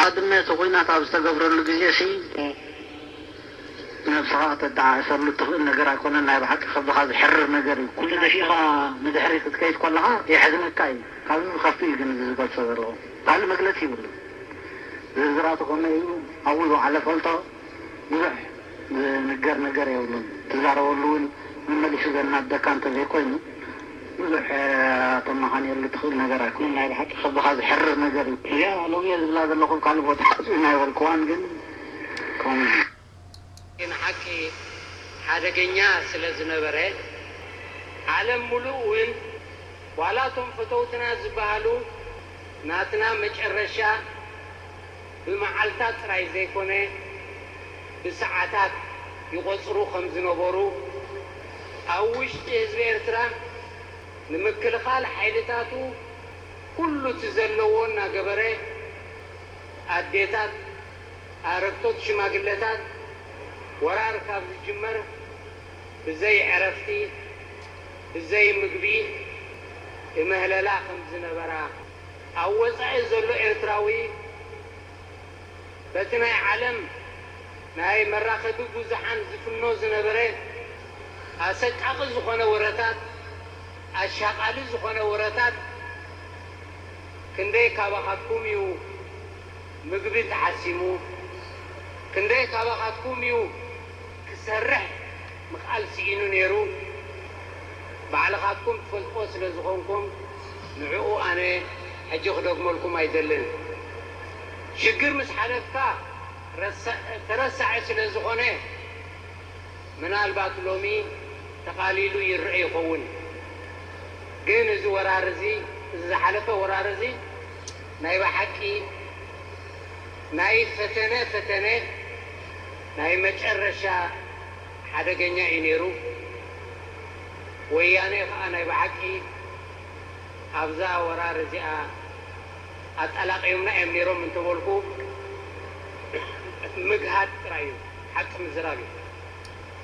ኣድመ እቲ ኹናት ኣብ ዝተገብረሉ ግዜ ሲ ነብስኻ ተደዓእሰሉ ትኽእል ነገር ኣይኮነን። ናይ ብሓቂ ከብድኻ ዝሕርር ነገር እዩ። ኩሉ ደፊእኻ ንድሕሪ ክትከይድ ከለኻ የሕዝነካ እዩ። ካብዚ ዝኸፍእ እዩ ግን እዚ ዝገልጾ ዘለኹ። ካልእ መግለጺ ይብሉ። ዝርዝራቱ ከመይ እዩ ኣብኡ ዝወዓለ ፈልጦ ብዙሕ ዝንገር ነገር የብሉን። ትዛረበሉ እውን መመሊሱ ዘናደካ እንተዘይኮይኑ ብዙሕ ተመኻንየሉ ትኽእል ነገር ኣይኮነን። ናይ ብሓቂ ከብድኻ ዝሕርር ነገር እዩ። እዚኣ ሎሚ እየ ዝብላ ዘለኹ፣ ካልእ ቦታ ሓፂኡ ናይ በልክዋን ግን ከምኡ እዩ። ግን ሓቂ ሓደገኛ ስለ ዝነበረ ዓለም ሙሉእ እውን ዋላ እቶም ፈተውትና ዝበሃሉ ናትና መጨረሻ ብመዓልታት ጥራይ ዘይኮነ ብሰዓታት ይቖጽሩ ከም ዝነበሩ ኣብ ውሽጢ ህዝቢ ኤርትራ ንምክልኻል ሓይልታቱ ኩሉ እቲ ዘለዎ እናገበረ ኣዴታት ኣረግቶት ሽማግለታት ወራር ካብ ዝጅመር ብዘይ ዕረፍቲ ብዘይ ምግቢ እመህለላ ከም ዝነበራ ኣብ ወጻኢ ዘሎ ኤርትራዊ በቲ ናይ ዓለም ናይ መራኸቢ ብዙሓን ዝፍኖ ዝነበረ ኣሰቃቒ ዝኾነ ወረታት ኣሻቓሊ ዝኾነ ወረታት ክንደይ ካባኻትኩም እዩ ምግቢ ተሓሲሙ? ክንደይ ካባኻትኩም እዩ ክሰርሕ ምኽኣል ስኢኑ ነይሩ? ባዕልኻትኩም ትፈልጥዎ ስለ ዝኾንኩም ንዕኡ ኣነ ሕጂ ክደግመልኩም ኣይደልን። ሽግር ምስ ሓለፍካ ረሳ- ተረሳዒ ስለ ዝኾነ ምናልባት ሎሚ ተቓሊሉ ይረአ ይኸውን። ግን እዚ ወራር እዚ፣ እዚ ዝሓለፈ ወራር እዚ ናይ ብሓቂ ናይ ፈተነ ፈተነ ናይ መጨረሻ ሓደገኛ እዩ ነይሩ። ወያነ ከዓ ናይ ብሓቂ ኣብዛ ወራር እዚኣ ኣጠላቂዮምና እዮም ነይሮም እንተበልኩ ምግሃድ ጥራይ እዩ፣ ሓቂ ምዝራብ እዩ።